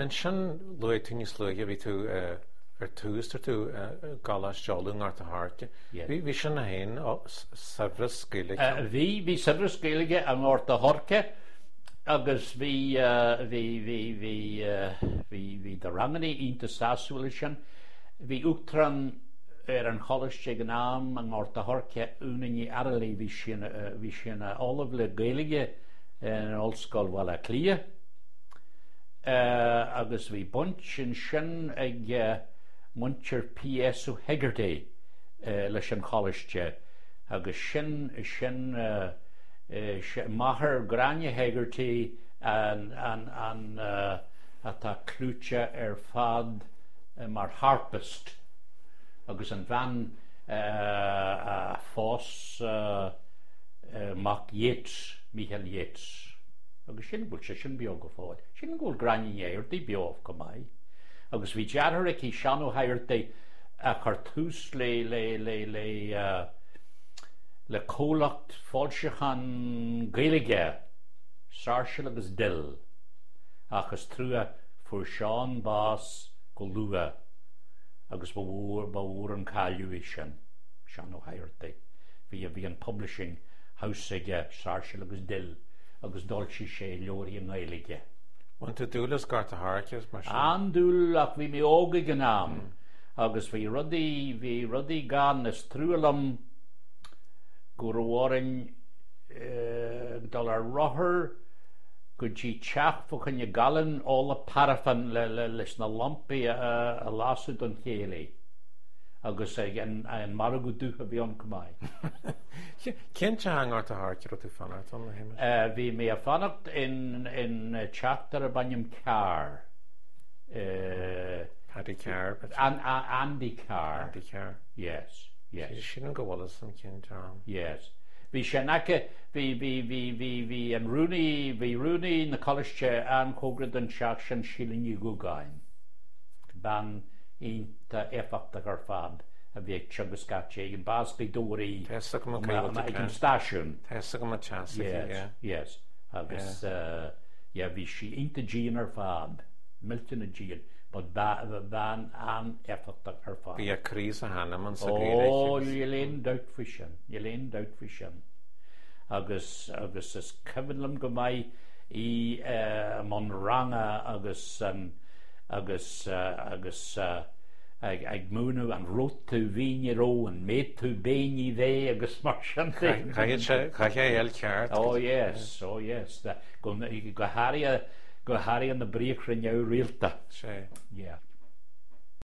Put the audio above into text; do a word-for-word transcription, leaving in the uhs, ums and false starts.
Ansin luaigh tú níos luaithe bhí tú eh, ar tús ar tú i gColáiste Uladh i nGort a' Choirce. Bhí bhí sin féin saibhreas Gaeilge. Bhí bhí saibhreas Gaeilge i nGort a' Choirce agus bhí bhí bhí bhí bhí bhí do ranganna iontach sásúil sin. Bhí uachtarán ar an choláiste ag an am i nGort a' Choirce Úna Ní Fhearghaile bhí sí bhí sí ina ollamh le Gaeilge in Ollscoil Bhaile Átha Cliath. Uh, agus bhí baint ansin ag uh, muintir P.S. O'Hegarty uh, leis an choláiste agus sin sin uh, uh, máthair Gráinne Hegarty an, an, an uh, atá clúite ar fad uh, mar harpist agus an bhean uh, a phós uh, uh, mac Yeats, Michael Yeats. agus sin bhfuil sé sin beo go fóill. Sin go bhfuil Gráinne Hegarty beo go maith. Agus bhí deartháir aici Seán Ó hEigeartaigh a chuir tús le le le le uh, le comhlacht foilseachán Gaeilge, Sáirséal agus Dill, ach is trua fuair Seán bás go luath agus ba mhór ba mhór an cailleadh é sin Seán Ó hEigeartaigh. Bhí a bhí an publishing house aige Sáirséal agus Dill agus d'fhoilsigh sé leabhair i nGaeilge. Bhain tú dúil as Gort a' Choirce mar sin? An-dúil ach bhí mé óg ag an am agus bhí rudaí bhí rudaí gan is trua liom go raibh orainn dul ar rothar go dtí teach fá choinne galún ola paraifin le, le, leis na lampaí a, a lasadh don chéilí. agus ag an, an margadh dubh a bhí ann go maith. Cén teach i nGort a' Choirce raibh tú fanacht ann a Shéamais? Uh, bhí mé a fanacht in, in teach darb ainm Carr. Uh, Paddy Carr. An, An, Andy Carr. Andy Carr. Yes, yes. Sin go bhfuil an cén teach. Yes. Bhí sé aice bhí bhí bhí bhí bhí an rúnaí bhí rúnaí na coláiste an-chóngarach don teach sin Síle Ní Dhúgáin. Bean iontach éifeachtach ar fad a bhí ag teagasc ag an Bascaí dóirí ag an stáisiún. Tá go teas Yes, yes. Agus uh, yeah, bhí sí iontach dian ar fad, millteanach dian, but bean an-éifeachtach ar fad. Bhí a croí is a hanam an sa Ó, níl aon dabht faoi sin, níl aon dabht faoi sin. Agus agus is cuimhin liom go maith í uh, mbun ranga agus um, agus uh, agus uh, ag, ag múineadh an raibh tú bhí ró an méid tú béní bhé agus mar sin Chaithfidh é ceart. Oh yes, oh yes. Go go háirithe go háirithe na briathra neamhrialta. Sé. Yeah.